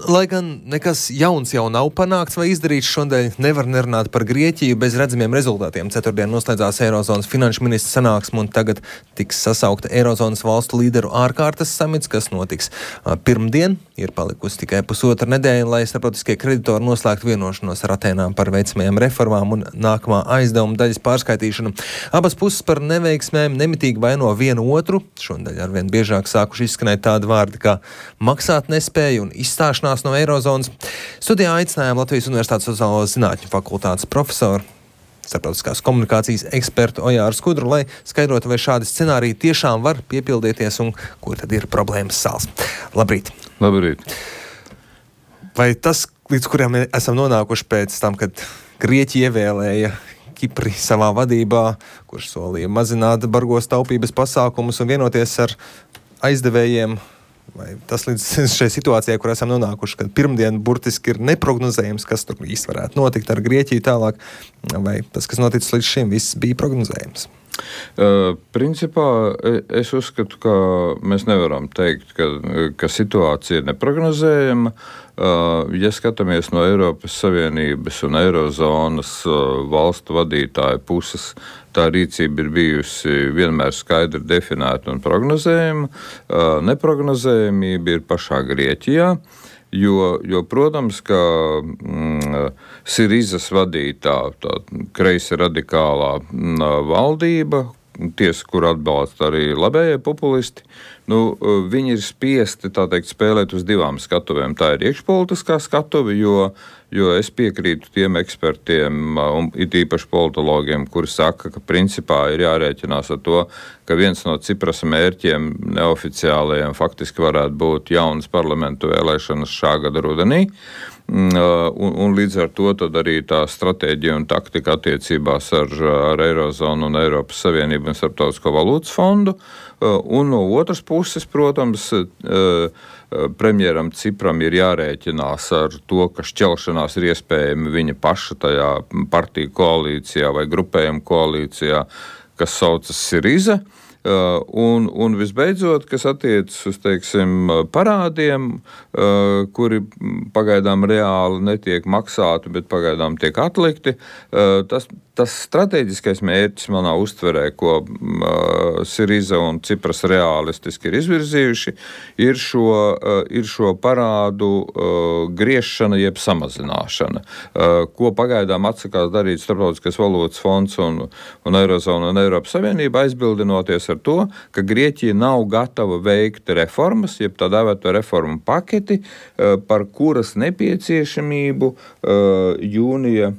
lai gan nekas jauns jau nav panākts vai izdarīts, šodien nevar nerunāt par Grieķiju bez redzamiem rezultātiem. Ceturtdien noslēdzās Eirozonas finanšu ministru sanāksme un tagad tiks sasaukta Eirozonas valstu līderu ārkārtas samits, kas notiks pirmdien. Ir palikusi tikai pusotra nedēļa, lai starptautiskie kreditori noslēgtu vienošanos ar Atēnām par veicamajām reformām un nākamā aizdevuma daļas pārskaitīšanu. Abas puses par neveiksmēm nemitīgi vaino vienu otru. Šodien arvien biežāk sākuši izskanēt tādi vārdi kā maksāt nespēja un izstāšanās no Eirozonas. Studijā aicinājām Latvijas Universitātes sociālo zinātņu fakultātes profesoru, starptautiskās komunikācijas ekspertu Ojāru Skudru, lai skaidrotu, vai šādi scenāriji tiešām var piepildīties un kur tad ir problēmas sāls. Labrīt! Labrīt! Vai tas, līdz kuriem esam nonākuši pēc tam, kad Grieķija ievēlēja Kipri savā vadībā, kurš solīja mazināt bargos taupības pasākumus un vienoties ar aizdevējiem, vai tas līdz šai situācijai, kur esam nonākuši, kad pirmdien burtiski ir neprognozējams, kas tur īsti varētu notikt ar Grieķiju tālāk, vai tas, kas noticis līdz šim, viss bija prognozējams? Principā es uzskatu, ka mēs nevaram teikt, ka situācija ir neprognozējama. Ja skatāmies no Eiropas Savienības un Eirozonas valstu vadītāju puses, tā rīcība ir bijusi vienmēr skaidri definēta un prognozējama. Neprognozējamība ir pašā Grieķijā, jo protams, ka Sirizas vadītā, tā kreisi radikālā valdība, tiesa, kur atbalsta arī labējie populisti, viņi ir spiesti, tā teikt, spēlēt uz divām skatuvēm. Tā ir iekšpolitiskā skatuve, jo es piekrītu tiem ekspertiem, un it īpaši politologiem, kuri saka, ka principā ir jārēķinās ar to, ka viens no Ciprasa mērķiem neoficiālajiem faktiski varētu būt jaunas parlamentu vēlēšanas šā gada rudenī. Un līdz ar to tad arī tā stratēģija un taktika attiecībās ar Eirozonu un Eiropas Savienību un Starptautisko valūtas fondu. Un no otras puses, protams, premjeram Cipram ir jārēķinās ar to, ka šķelšanās ir iespējama viņa paša tajā partiju koalīcijā vai grupējuma koalīcijā, kas saucas Siriza. Un visbeidzot, kas attiecas uz, teiksim, parādiem, kuri pagaidām reāli netiek maksāti, bet pagaidām tiek atlikti, tas strateģiskais mērķis manā uztverē, ko Siriza un Cipras realistiski ir izvirzījuši, ir šo parādu griešana jeb samazināšana, ko pagaidām atsakās darīt Starptautiskais valūtas fonds un Eirozona un Eiropas Savienība, aizbildinoties ar to, ka Grieķija nav gatava veikt reformas, jeb tā dēvēto reformu paketi, par kuras nepieciešamību jūnija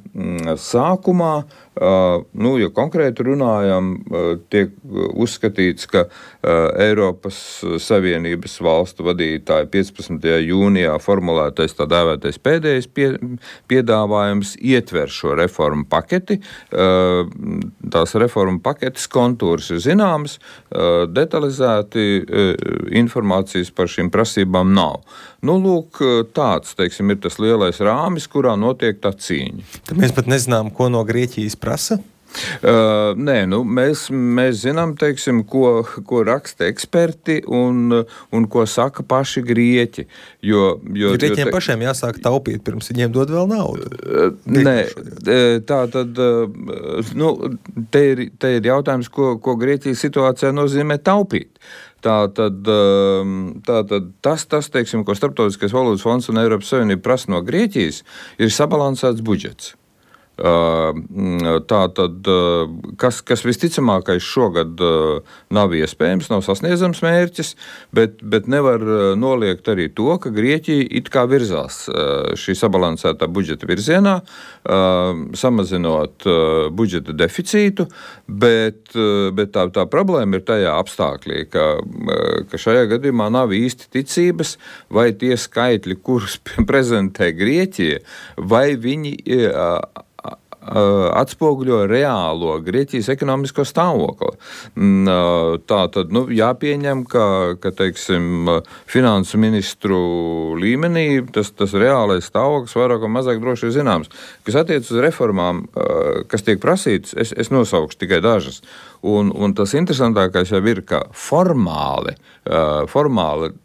sākumā, ja konkrēti runājam, tiek uzskatīts, ka Eiropas Savienības valstu vadītāji 15. jūnijā formulētais tā dēvētais pēdējais piedāvājums ietver šo reformu paketi. Tās reformu paketes kontūrs ir zināmas, detalizēti informācijas par šīm prasībām nav. Lūk, tāds, teiksim, ir tas lielais rāmis, kurā notiek tā cīņa. Tad mēs pat nezinām, ko no Grieķijas prasa? Nē, mēs zinām, teiksim, ko raksta eksperti un ko saka paši grieķi. Grieķiem pašiem jāsāk taupīt, pirms viņiem dod vēl naudu. Nē, tā tad, te ir jautājums, ko Grieķijas situācijā nozīmē taupīt. Tātad tas, teiksim, ko Starptautiskais valūtas fonds un Eiropas Savienība prasa no Grieķijas, ir sabalansēts budžets. Tātad, kas visticamākais šogad nav iespējams, nav sasniedzams mērķis, bet nevar noliegt arī to, ka Grieķija it kā virzās šī sabalansētā budžeta virzienā, samazinot budžeta deficītu, bet tā problēma ir tajā apstākļī, ka šajā gadījumā nav īsti ticības, vai tie skaitļi, kurus prezentē Grieķija, vai viņi atspoguļo reālo Grieķijas ekonomisko stāvokli. Tātad, jāpieņem, ka teiksim, finansu ministru līmenī tas reālais stāvoklis vairāk un mazāk droši ir zināms. Kas attiec uz reformām, kas tiek prasītas, es nosaukšu tikai dažas. Un tas interesantākais jau ir, ka formāli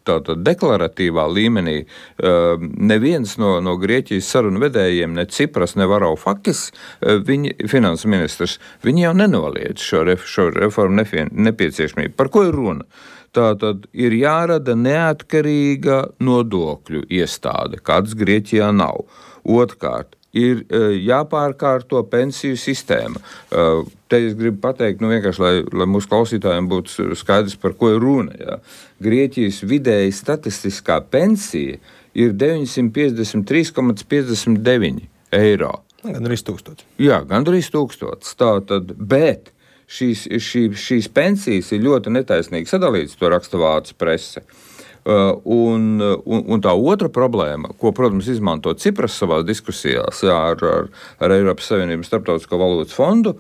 tātad deklaratīvā līmenī neviens no Grieķijas sarunu vedējiem, ne Cipras, ne Varoufakis, finanses ministrs, viņi jau nenoliedz šo reformu nepieciešamību. Par ko ir runa? Tātad ir jārada neatkarīga nodokļu iestāde, kādas Grieķijā nav. Otrkārt, ir jāpārkārto pensiju sistēma. Te es gribu pateikt, vienkārši, lai mūsu klausītājiem būtu skaidrs, par ko ir runa. Jā. Grieķijas vidēji statistiskā pensija ir 953,59 eiro. Gandrīz 1000. Jā, gandrīz 1000. Tātad, bet šīs pensijas ir ļoti netaisnīgi sadalītas, to raksta vācu prese. Un tā otra problēma, ko, protams, izmanto Cipras savās diskusijās ar Eiropas Savienības Starptautisko valūtas fondu,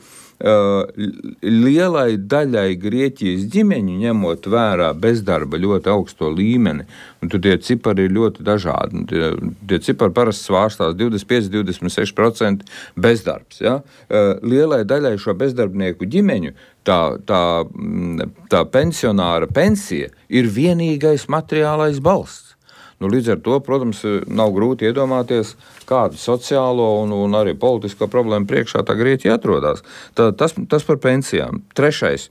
lielai daļai Grieķijas ģimeņu ņemot vērā bezdarba ļoti augsto līmeni, un tur tie cipari ir ļoti dažādi. Tie cipari parasti svārstās 25–26% bezdarbs. Ja? Lielai daļai šo bezdarbnieku ģimeņu tā pensionāra pensija ir vienīgais materiālais balsts. Līdz ar to, protams, nav grūti iedomāties, kādu sociālo un arī politisko problēmu priekšā tā Grieķija atrodas. Tas par pensijām. 3.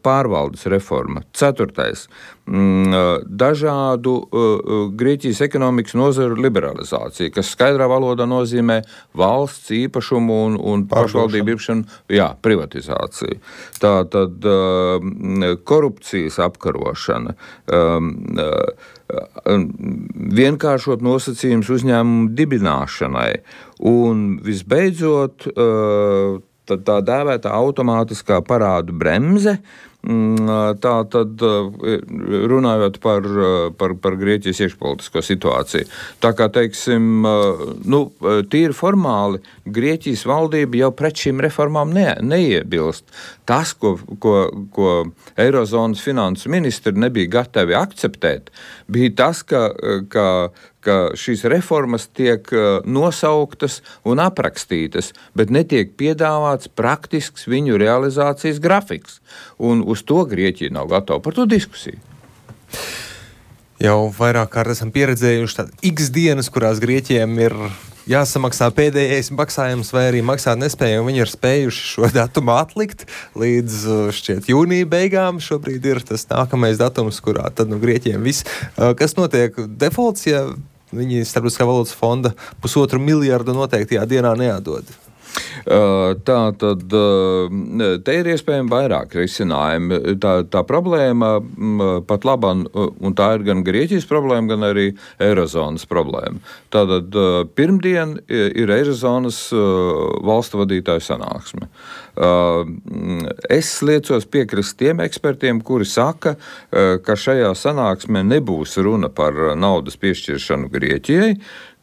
pārvaldes reforma. 4. dažādu Grieķijas ekonomikas nozaru liberalizācija, kas skaidrā valodā nozīmē valsts īpašumu un pašvaldību īpašumu, privatizāciju. Tātad korupcijas apkarošana, vienkāršot nosacījums uzņēmumu dibināšanai un visbeidzot tā dēvētā automātiskā parādu bremze. Tā tad runājot par Grieķijas iekšpolitisko situāciju. Tā kā, teiksim, tīri formāli Grieķijas valdība jau pret šīm reformām neiebilst. Tas, ko Eirozonas finansu ministri nebija gatavi akceptēt, bija tas, ka šīs reformas tiek nosauktas un aprakstītas, bet netiek piedāvāts praktisks viņu realizācijas grafiks. Un uz to Grieķija nav gatava par to diskusiju. Jau vairāk kārt esam pieredzējuši tādas X dienas, kurās Grieķiem ir jāsamaksā pēdējais maksājums vai arī maksāt nespēja, un viņi ir spējuši šo datumu atlikt līdz šķiet jūnija beigām. Šobrīd ir tas nākamais datums, kurā tad Grieķiem viss. Kas notiek? Defaults, ja viņi Starptautiskā valūtas fonda 1,5 miljardu noteiktajā dienā neatdod? Tātad te ir iespējami vairāk risinājumi. Tā problēma pat labam, un tā ir gan Grieķijas problēma, gan arī Eirozonas problēma. Tātad pirmdien ir Eirozonas valstu vadītāju sanāksme. Es liecos piekrist tiem ekspertiem, kuri saka, ka šajā sanāksmē nebūs runa par naudas piešķiršanu Grieķijai,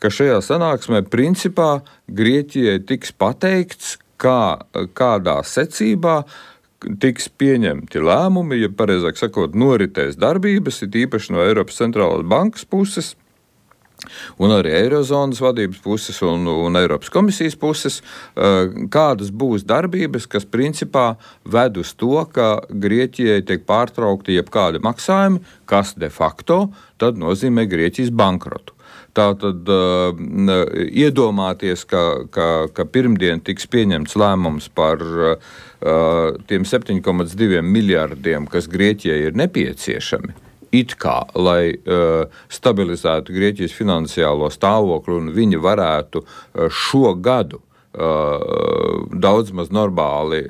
ka šajā sanāksmē principā Grieķijai tiks pateikts, kādā secībā tiks pieņemti lēmumi, ja pareizāk sakot, noritēs darbības, ir īpaši no Eiropas centrālās bankas puses, un arī Eirozonas vadības puses un Eiropas komisijas puses, kādas būs darbības, kas principā ved uz to, ka Grieķijai tiek pārtraukti jebkādi maksājumi, kas de facto tad nozīmē Grieķijas bankrotu. Tātad iedomāties, ka pirmdien tiks pieņemts lēmums par tiem 7,2 miljardiem, kas Grieķijai ir nepieciešami, it kā, lai stabilizētu Grieķijas finansiālo stāvokli un viņi varētu šo gadu daudz maz normāli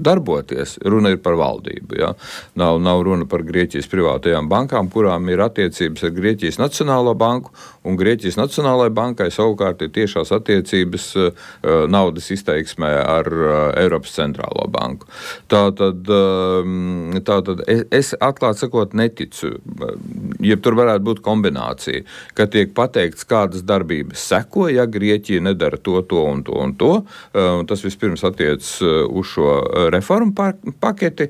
darboties. Runa ir par valdību. Ja? Nav runa par Grieķijas privātajām bankām, kurām ir attiecības ar Grieķijas Nacionālo banku, un Grieķijas Nacionālajai bankai savukārt ir tiešās attiecības naudas izteiksmē ar Eiropas centrālo banku. Tātad es atklāt sakot neticu, ja tur varētu būt kombinācija, ka tiek pateikts, kādas darbības seko, ja Grieķija nedara to un to. Tas vispirms attiecas uz šo reformu paketi.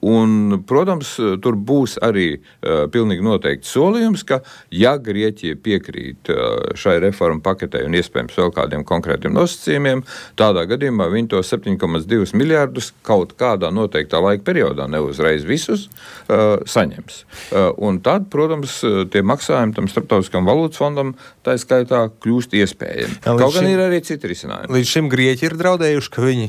Un, protams, tur būs arī pilnīgi noteikti noteikti solījums, ka ja Grieķija piekrīt šai reformu paketei un iespējams vēl kādiem konkrētiem nosacījumiem, tādā gadījumā viņi to 7,2 miljārdus kaut kādā noteiktā laika periodā, neuzreiz visus, saņems. Un tad, protams, tie maksājumi tam Starptautiskam valūtas fondam tā skaitā kļūst iespējami. Kaut gan ir arī citi risinājumi. Līdz šim Grieķi ir draudējuši, ka viņi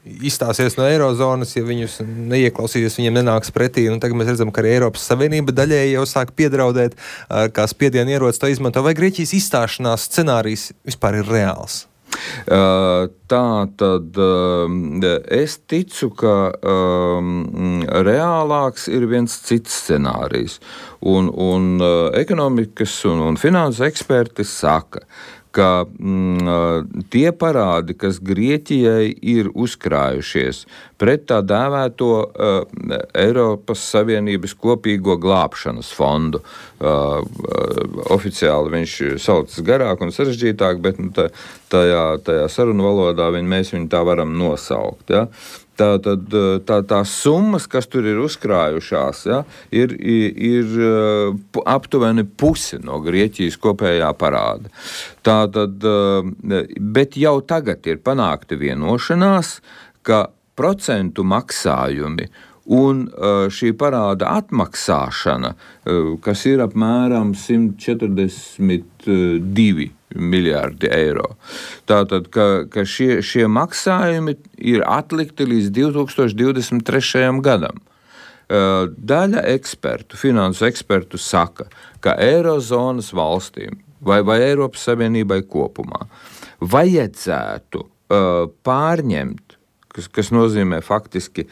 izstāsies no Eirozonas, ja viņus neieklausīsies, viņiem nenāks pretī. Un tagad mēs redzam, ka arī Eiropas Savienība daļēji jau sāk piedraudēt, kā spiedienu ierocis to izmanto. Vai Grieķijas izstāšanās scenārijs vispār ir reāls? Tā tad es ticu, ka reālāks ir viens cits scenārijs. Un ekonomikas un finanses eksperti saka, ka tie parādi, kas Grieķijai ir uzkrājušies pret tā dēvēto Eiropas Savienības kopīgo glābšanas fondu. Oficiāli viņš saucas garāk un sarežģītāk, bet tajā sarunu valodā mēs viņu tā varam nosaukt. Ja? Tās summas, kas tur ir uzkrājušās, ja, ir aptuveni pusi no Grieķijas kopējā parāda. Bet jau tagad ir panākta vienošanās, ka procentu maksājumi un šī parāda atmaksāšana, kas ir apmēram 142 miljārdi eiro. Tātad, ka šie maksājumi ir atlikti līdz 2023. gadam. Daļa ekspertu, finansu ekspertu saka, ka Eirozonas valstīm vai Eiropas Savienībai kopumā vajadzētu pārņemt, kas nozīmē faktiski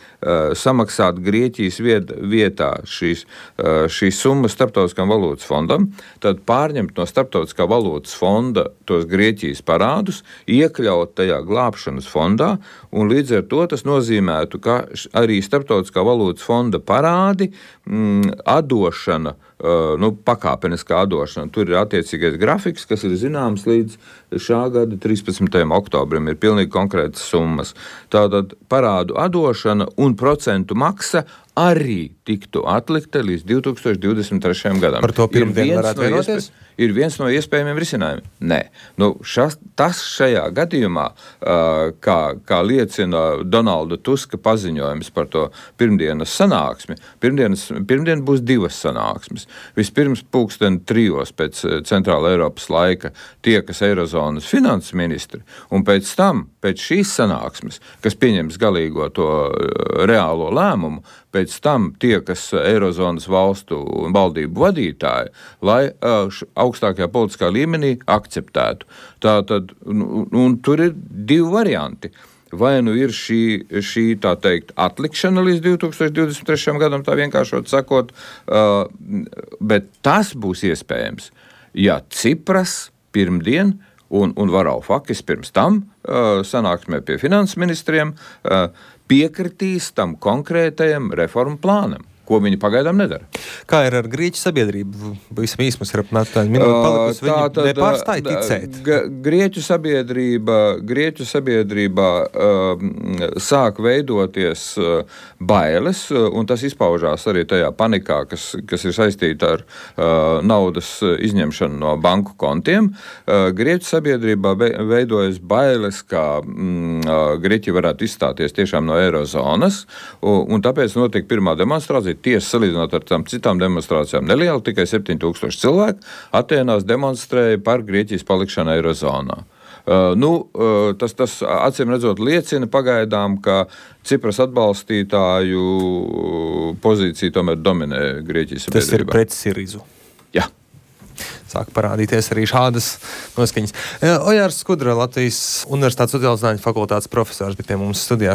samaksāt Grieķijas vietā šīs summas Starptautiskam valūtas fondam, tad pārņemt no Starptautiskā valūtas fonda tos Grieķijas parādus, iekļaut tajā glābšanas fondā, un līdz ar to tas nozīmētu, ka arī Starptautiskā valūtas fonda parādi atdošana, pakāpeniskā atdošana. Tur ir attiecīgais grafiks, kas ir zināms līdz šā gada 13. oktobrim, ir pilnīgi konkrētas summas. Tātad parādu atdošana un procentu maksa arī tiktu atlikta līdz 2023. gadam. Par to pirmdien varētu vienoties? Ir viens no iespējamiem risinājumiem. Nē. Tas šajā gadījumā, kā liecina Donalda Tuska paziņojums par to pirmdienas sanāksmi, pirmdien būs divas sanāksmes. Vispirms 3:00 pēc Centrāla Eiropas laika tiekas Eirozonas finanses ministri, un pēc tam, pēc šīs sanāksmes, kas pieņems galīgo to reālo lēmumu, pēc tam tiekas Eirozonas valstu un valdību vadītāji, lai augstākajā politiskā līmenī akceptētu. Tātad, un tur ir divi varianti. Vai nu ir šī tā teikt, atlikšana līdz 2023. gadam, tā vienkāršot sakot, bet tas būs iespējams, ja Cipras pirmdien un Varoufakis pirms tam sanāksmē pie finanses ministriem piekritīs tam konkrētajam reformu plānam, ko viņi pagaidām nedara. Kā ir ar Grieķu sabiedrību? Visam īsmas ir apmēram minūte palikusi, viņi nepārstāja ticēt. Grieķu sabiedrībā sāk veidoties bailes, un tas izpaužās arī tajā panikā, kas ir saistīta ar naudas izņemšanu no banku kontiem. Grieķu sabiedrībā veidojas bailes, ka Grieķija varētu izstāties tiešām no Eirozonas, un tāpēc notiek pirmā demonstrācija. Tiesa salīdzinot ar tām citām demonstrācijām neliela, tikai 7000 cilvēku Atēnās demonstrēja par Grieķijas palikšanu Eirozonā. Tas acīm redzot liecina pagaidām, ka Cipras atbalstītāju pozīcija tomēr dominē Grieķijas sabiedrībā. Tas ir pret Sirizu. Jā. Sāk parādīties arī šādas noskaņas. Ojārs Skudra, Latvijas Universitātes sociālo zinātņu fakultātes profesors, bija pie mums studijā.